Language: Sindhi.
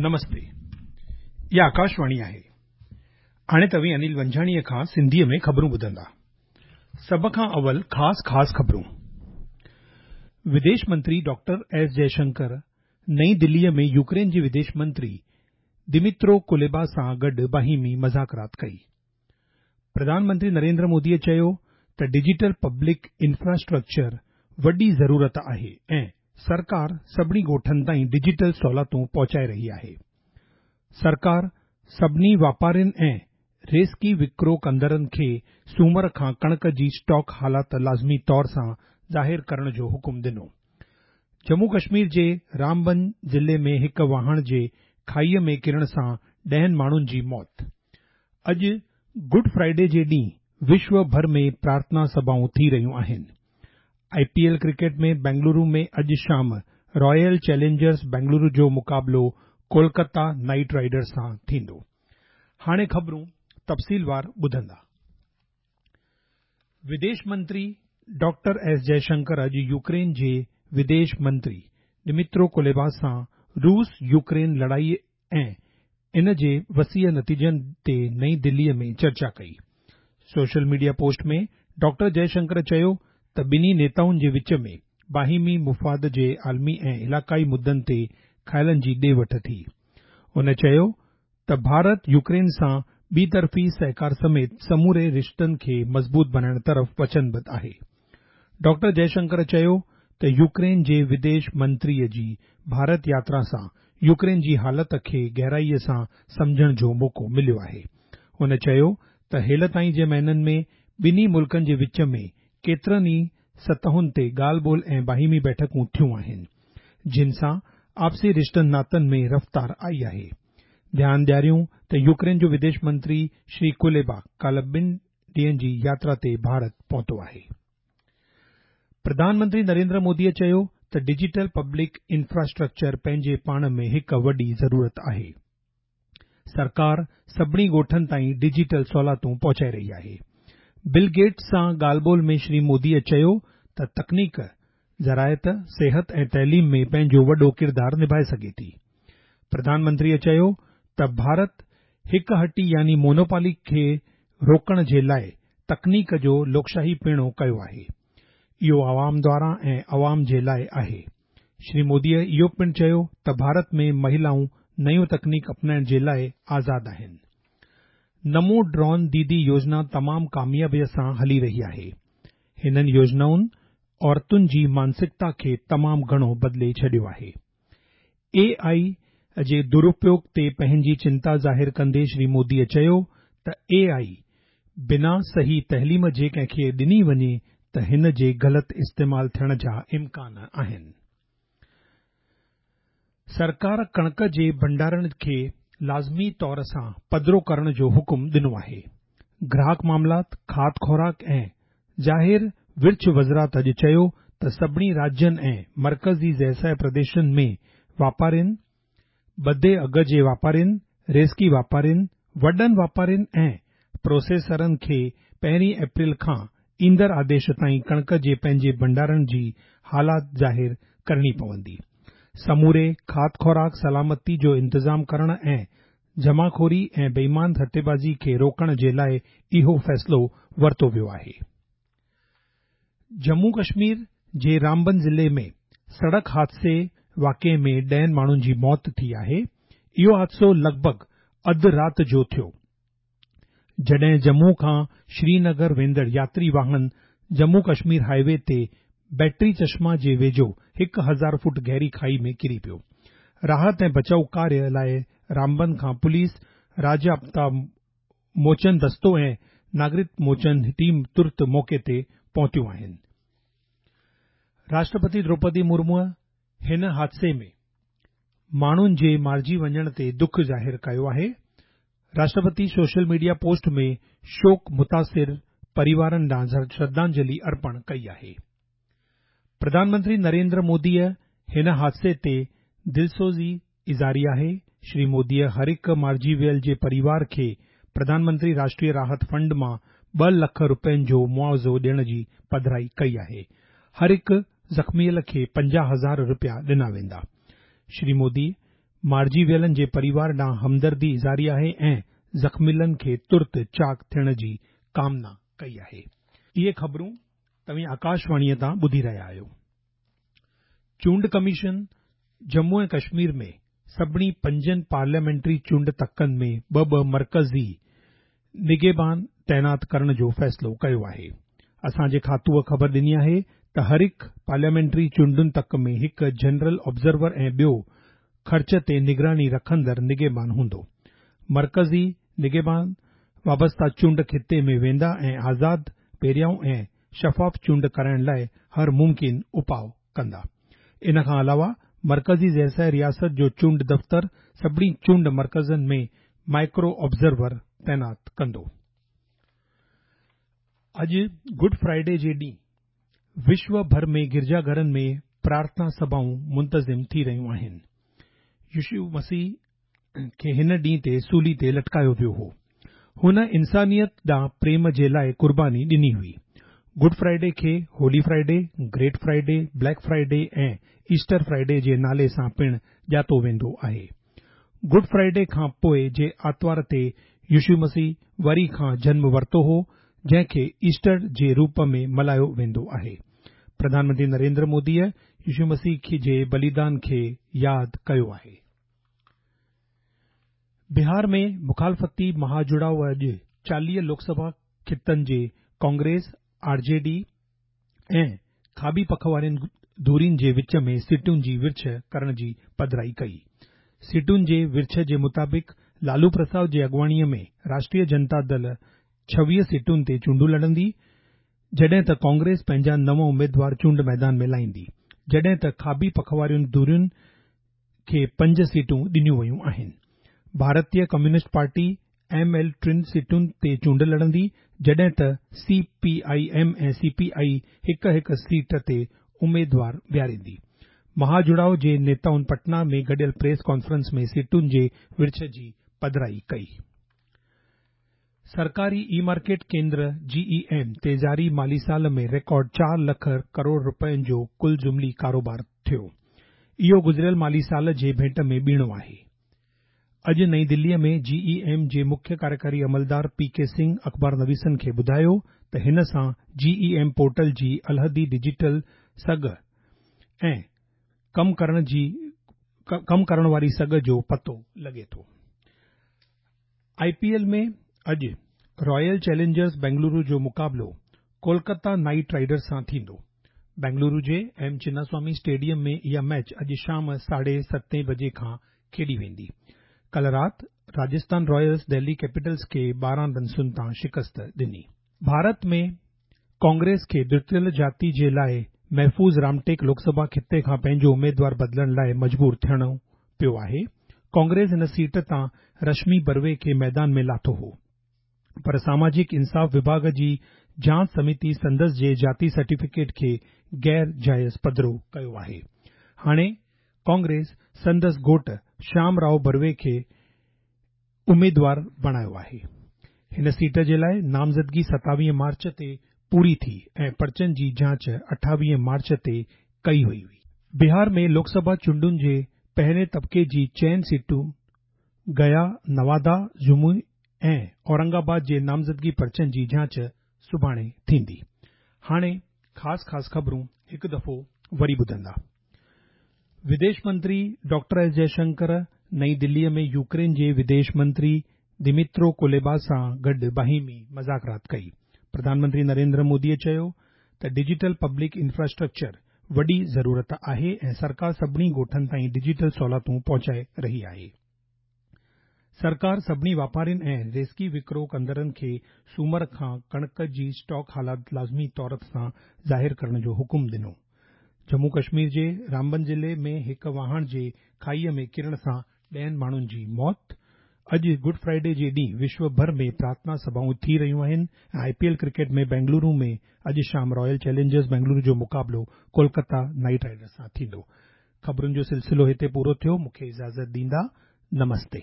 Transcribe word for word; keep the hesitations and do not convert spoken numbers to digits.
نمستي، اها آڪاشواڻي آهي. هاڻي توهين انيل ونجهاڻيء کان سنڌيء ۾ خبرون ٻڌندا. سڀ کان اول خاص خاص خبرون. وديش منتري ڊاڪٽر ايس جئشنڪر نئين دليء ۾ يوڪرين جي وديش منتري دمترو ڪوليبا سان گڏ باهمي مذاڪرات ڪئي. پرڌان منتري نريندر موديء چيو ته ڊجيٽل پبلڪ انفراسٽرڪچر وڏي ضرورت آهي ۽ سرڪار سڀني ڳوٺن تائين ڊجيٽل سهولتون پهچائي رهي آهي. سرڪار سڀني واپارين ۽ ريزڪي وڪرو ڪندڙن کي سومر کان ڪڻڪ جي اسٽاڪ حالت لازمي طور سان ظاهر ڪرڻ جو حڪم ڏنو. ڄمون ڪشمير جي رامبن ضلعي ۾ هڪ واهڻ جي کائيء ۾ ڪرڻ سان ڏهن ماڻهن جي موت. اڄ گڊ فرائيڊي جي ڏينهن وشو ڀر ۾ پرارٿنا سڀائون ٿي رهيون آهن. I P L cricket ۾ Bengaluru ۾ اڄ شام رائل چئلينجرز بينگلورو جو مقابلو ڪولڪتا نائيٽ رائيڊرز سان ٿيندو. هاڻي خبرون تفصيلوار ٻڌندا. وديش منتري ڊاڪٽر ايس جئشنڪر اڄ يوڪرين جي وديش منتري دمترو ڪوليبا سان روس يوڪرين لڙائي ۽ ان جي وسيع نتيجن تي نئين دليء ۾ چرچا ڪئي. سوشل ميڊيا پوسٽ ۾ ڊاڪٽر جئشنڪر چيو ته ٻنهي نيتائن جي وچ ۾ باهمي مفاد جي عالمي ۽ علائقائي مدن تي خيالن جي ڏي وٺ ٿي. هن چيو ته ڀارت يوڪرين سان ٻي طرفي سهڪار سميت سموري رشتن کي مضبوط بڻائڻ طرف وچنبڌ آهي. ڊاڪٽر جئشنڪر چيو ته يوڪرين جي وديش منتريء جي ڀارت ياترا سان يوڪرين جي حالت کي گهرائيء سان سمجهڻ جو موقعو مليو آهي. هن چيو ته هيل تائين جي مهينن ۾ ٻنهي ملڪن جي وچ ۾ ڪيترن ئي سطحن تي ڳالهه ٻولهه ۽ باهمي بيٺڪون ٿيون آهن، جن سان آپسي رشتن ناتن ۾ رفتار آئي آهي. ڌيان ڏياريون ته يوڪرين جو وديش منتري شري ڪوليبا ڪالهه ٻن ڏينهن جي ياترا تي ڀارت پهتو آهي. پرڌان منتري نريندر موديء چيو ته ڊجيٽل پبلڪ انفراسٽرڪچر پنهنجي پاڻ ۾ هڪ وڏي ضرورت آهي. سرڪار سڀني ڳوٺن تائين ڊجيٽل سهولتون پهچائي رهي آهي. بل گيٽس سان ڳالهه ٻولهه ۾ شري موديء چيو ته تڪنيڪ زراعت، صحت ۽ تعليم ۾ پنهنجو وڏو ڪردار نڀائي سگهي ٿي. پرڌان منتريء چيو ته ڀارت هڪ هٽي يعني مونوپولي کي روڪڻ جي لاءِ تڪنيڪ جو لوڪشاهي پڻو ڪيو آهي. اهو عوام دواران ۽ عوام جي لاءِ آهي. شري موديء اهو پڻ چيو ته ڀارت ۾ مهلائون نيون تڪنيڪ اپنائڻ جي لاءِ آزاد آهن. نمو ڊرون ديدي يوجنا تمام ڪاميابيء سان هلي رهي آهي. هنن يوجنائن عورتن جي مانسڪتا کي تمام گهڻو بدلي ڇڏيو آهي. اي آئي جي درپيوگ تي پنهنجي چنتا ظاهر ڪندي شري موديء چيو ته اي آئي بنا صحيح تعليم جي ڪنهن کي ڏني وڃي ته هن جي غلط استعمال ٿيڻ جا امڪان آهن. سرڪار ڪڻڪ جي ڀنڊارن کي لازمي طور سان پڌرو ڪرڻ جو حڪم ڏنو آهي. گراهڪ معاملات، کاڌ خوراڪ ۽ ظاهر ورڇ وزارت اڄ چيو ته سڀني راجين ۽ مرڪزي زيرشاهي پرديشن ۾ واپارين، ٻڌي اگهه جي واپارين، ريزڪي واپارين، وڏن واپارين ۽ پروسيسرن کي پهرين اپريل کان ايندڙ آديش تائين ڪڻڪ جي پنهنجي ڀنڊارن جي حالت ظاهر ڪرڻي پوندي. سموري کاڌ خوراڪ سلامتي جو انتظام ڪرڻ ۽ جمعخوري ۽ بيمان سٽيبازي کي روڪڻ جي لاءِ اهو فيصلو ورتو ويو آهي. ڄمون ڪشمير جي رامبن ضلعي ۾ سڙڪ حادثي واقعي ۾ ڏهن ماڻهن جي موت ٿي آهي. اهو حادثو لڳ ڀڳ اڌ رات جو ٿيو، جڏهن ڄمون کان شرينگر ويندڙ ياتري واهن ڄمون ڪشمير هاءِ وي تي بيٽري چشما جي ويجهو هڪ هزار فوٽ گهري کائي ۾ ڪري پيو. راحت ۽ بچاءُ ڪاريه لاءِ رامبن کان پوليس، راجيه آپدا موچن دستو ۽ ناگرڪ موچن ٽيم ترت موقعي تي پهتيون آهن. راشٽرپتي دروپدي مرموءَ هن حادثي ۾ ماڻهن جي مارجي وڃڻ تي دک ظاهر ڪيو آهي. راشٽرپتي سوشل ميڊيا پوسٽ ۾ شوڪ متاثر پريوارن ڏانهن شرڌانجلي ارپڻ ڪئي آهي. پرڌان منتري نريندر موديء هن حادثي تي دلسوزي اظهاري آهي. شري موديء هر هڪ مارجي ويل جي پريوار کي پرڌان منتري راشٽريه راحت فنڊ مان ٻه لک رپين جو معاوضو ڏيڻ جي پڌرائي ڪئي آهي. هر هڪ زخميل کي پنجاهه هزار رپيا ڏنا ويندا. شري مودي مارجي ويلن جي پريوار ڏانهن همدردي اظهاري آهي ۽ زخميلن کي ترت چاق ٿيڻ جي ڪامنا ڪئي آهي. اهي خبرون توهين آڪاشواڻيء تان ٻڌي رهيا آهيو. چونڊ ڪميشن ڄمون ۽ ڪشمير ۾ سڀني پنجن پارليامينٽري چونڊ تڪن ۾ ٻه ٻه مرڪزي نگهبان تعينات ڪرڻ جو فيصلو ڪيو آهي. اسان جي کاتوءَ خبر ڏني آهي ته هر هڪ پارليامينٽري چونڊن تڪ ۾ هڪ جنرل آبزرور ۽ ٻيو خرچ تي نگراني رکندڙ نگهبان هوندو. مرڪزي نگهبان وابسته چونڊ خطي ۾ ويندا ۽ آزاد، پهريائون ۽ شفاف چونڊ ڪرائڻ لاءِ هر ممڪن اپاءُ ڪندا. ان کان علاوه مرڪزي زيرسايه رياست جو چونڊ دفتر سڀني چونڊ مرڪزن ۾ مائيڪرو آبزرور تعينات ڪندو. اڄ گڊ فرائيڊي جي ڏينهن وشو ڀر ۾ گرجا گهرن ۾ پرارٿنا سڀائون منتظم ٿي رهيون آهن. يشو مسيح کي هن ڏينهن تي سولي تي لٽڪايو ويو هو. هن انسانيت ڏانهن پريم جي لاءِ قرباني ڏني هئي. گڊ فرائيڊي کي Holy Friday, Great Friday, Black Friday ۽ Easter Friday جي نالي سان پڻ ڄاتو ويندو آهي. گڊ فرائيڊي کان پوءِ جي آتوار تي يشو مسيح وري کان جنم ورتو هو، جنهن کي ايسٽر جي روپ ۾ ملهايو ويندو آهي. پرڌان منتري نريندر موديءَ يشو مسيح جي بليدان کي ياد ڪيو آهي. بهار ۾ مخالفتي مهاجڙاءُ اڄ چاليهه لوڪسڀا خطن جي ڪانگريس، آر جي ڊي ۽ کاٻي پک وارين ڌرين جي وچ ۾ سيٽن جي ورڇ ڪرڻ جي پڌرائي ڪئي. سيٽن جي ورڇ جي مطابق لالو پرساد جي اڳواڻيءَ ۾ راشٽريه جنتا دل ڇويهه سيٽن تي چونڊون لڙندي، جڏهن ته ڪانگريس پنهنجا نو اميدوار چونڊ ميدان ۾ لاهيندي، جڏهن ته کاٻي پک وارين ڌرين کي پنج سيٽون ڏنيون ويون آهن. ڀارتيه ڪميونسٽ پارٽي ايم ايل ٽن سيٽن تي چونڊ لڙندي، جڏهن ته C P I M ۽ C P I هڪ هڪ سيٽ تي اميدوار بيهاريندي. مهاجڙاءُ جي نيتائن پٽنا ۾ گڏيل پريس ڪانفرنس ۾ سيٽن جي ورڇ جي پڌرائي ڪئي. سرڪاري اي مارڪيٽ ڪيندر جي اي ايم تي جاري مالي سال ۾ رڪارڊ چار لک ڪروڙ رپين جو ڪل جملي ڪاروبار ٿيو. اهو گذريل مالي سال جي ڀيٽ ۾ ٻيڻو آهي. اڄ نئين دليءَ ۾ جي اي ايم جي مکيه ڪاريڪاري عملدار پي ڪي سنگهه اخبار نويسن کي ٻڌايو ته هن سان جي اي ايم پورٽل جي علحدي ڊجيٽل سگهه ۽ ڪم ڪرڻ جي ڪم ڪرڻ واري سگهه جو پتو لڳي ٿو. آءِ پي ايل ۾ اڄ رائل چئلينجرز بينگلورو جو مقابلو ڪولڪتا نائيٽ رائيڊرز سان ٿيندو. بينگلورو جي ايم چناسوامي اسٽيڊيم ۾ اها ميچ اڄ شام ساڍي ستين بجي کان کيڏي ويندي. ڪالهه رات راجسٿان رائلز دهلي ڪيپيٽلز کي ٻارهن رنسن تان شڪست ڏني. ڀارت ۾ ڪانگريس کي ڏتڙيل جاتي جي لاءِ محفوظ رامٽيڪ لوڪسڀا خطي کان پنهنجو اميدوار بدلڻ لاءِ مجبور ٿيڻو پيو آهي. ڪانگريس هن سيٽ تان رشمي بروي کي ميدان ۾ لاٿو هو، پر ساماجڪ انصاف وڀاڳ جي جاچ سميتي سندس جي جاتي سرٽيفڪيٽ کي غير جائز پڌرو ڪيو آهي. هاڻي ڪانگريس سندس گهوٽ شيام رائو بروي کي اميدوار بڻايو آهي. هن سيٽ جي لاءِ نامزدگي ستاويهه مارچ تي پوري ٿي ۽ پرچن جي جاچ اٺاويهه مارچ تي ڪئي وئي هئي. بهار ۾ لوڪسڀا چونڊن جي پهرين طبقي جي چئن سيٽن گيا، نوادا، جموئي ۽ اورنگ آباد جي نامزدگي پرچن جي جاچ سڀاڻي ٿيندي. هاڻي خاص خاص خبرون هڪ دفعو وري ٻڌندا. وديش منتري ڊاڪٽر ايس جئشنڪر نئين دليءَ ۾ يوڪرين جي وديش منتري دمترو ڪوليبا سان گڏ باهمي مذاڪرات ڪئي. پرڌان منتري نريندر موديءَ چيو ته ڊجيٽل پبلڪ انفراسٽرڪچر وڏي ضرورت آهي ۽ سرڪار سڀني ڳوٺن تائين ڊجيٽل سهولتون پهچائي رهي آهي. سرڪار سڀني واپارين ۽ ريزڪي وڪرو ڪندڙن کي سومر کان ڪڻڪ جي اسٽاڪ حالات لازمي طور سان ظاهر ڪرڻ جو حڪم ڏنو. ڄمون ڪشمير جي رامبن ضلعي ۾ هڪ واهڻ جي کائيءَ ۾ ڪرڻ سان ڏهن ماڻهن جي موت. اڄ گڊ فرائيڊي جي ڏينهن وشو ڀر ۾ پرارٿنا سڀائون ٿي رهيون آهن ۽ I P L cricket ۾ Bengaluru ۾ اڄ شام رائل چئلينجرز بينگلورو جو مقابلو ڪولڪتا نائيٽ رائيڊرز سان ٿيندو. خبرن جو سلسلو هتي پورو ٿيو. مون کي اجازت ڏيندا. نمستي.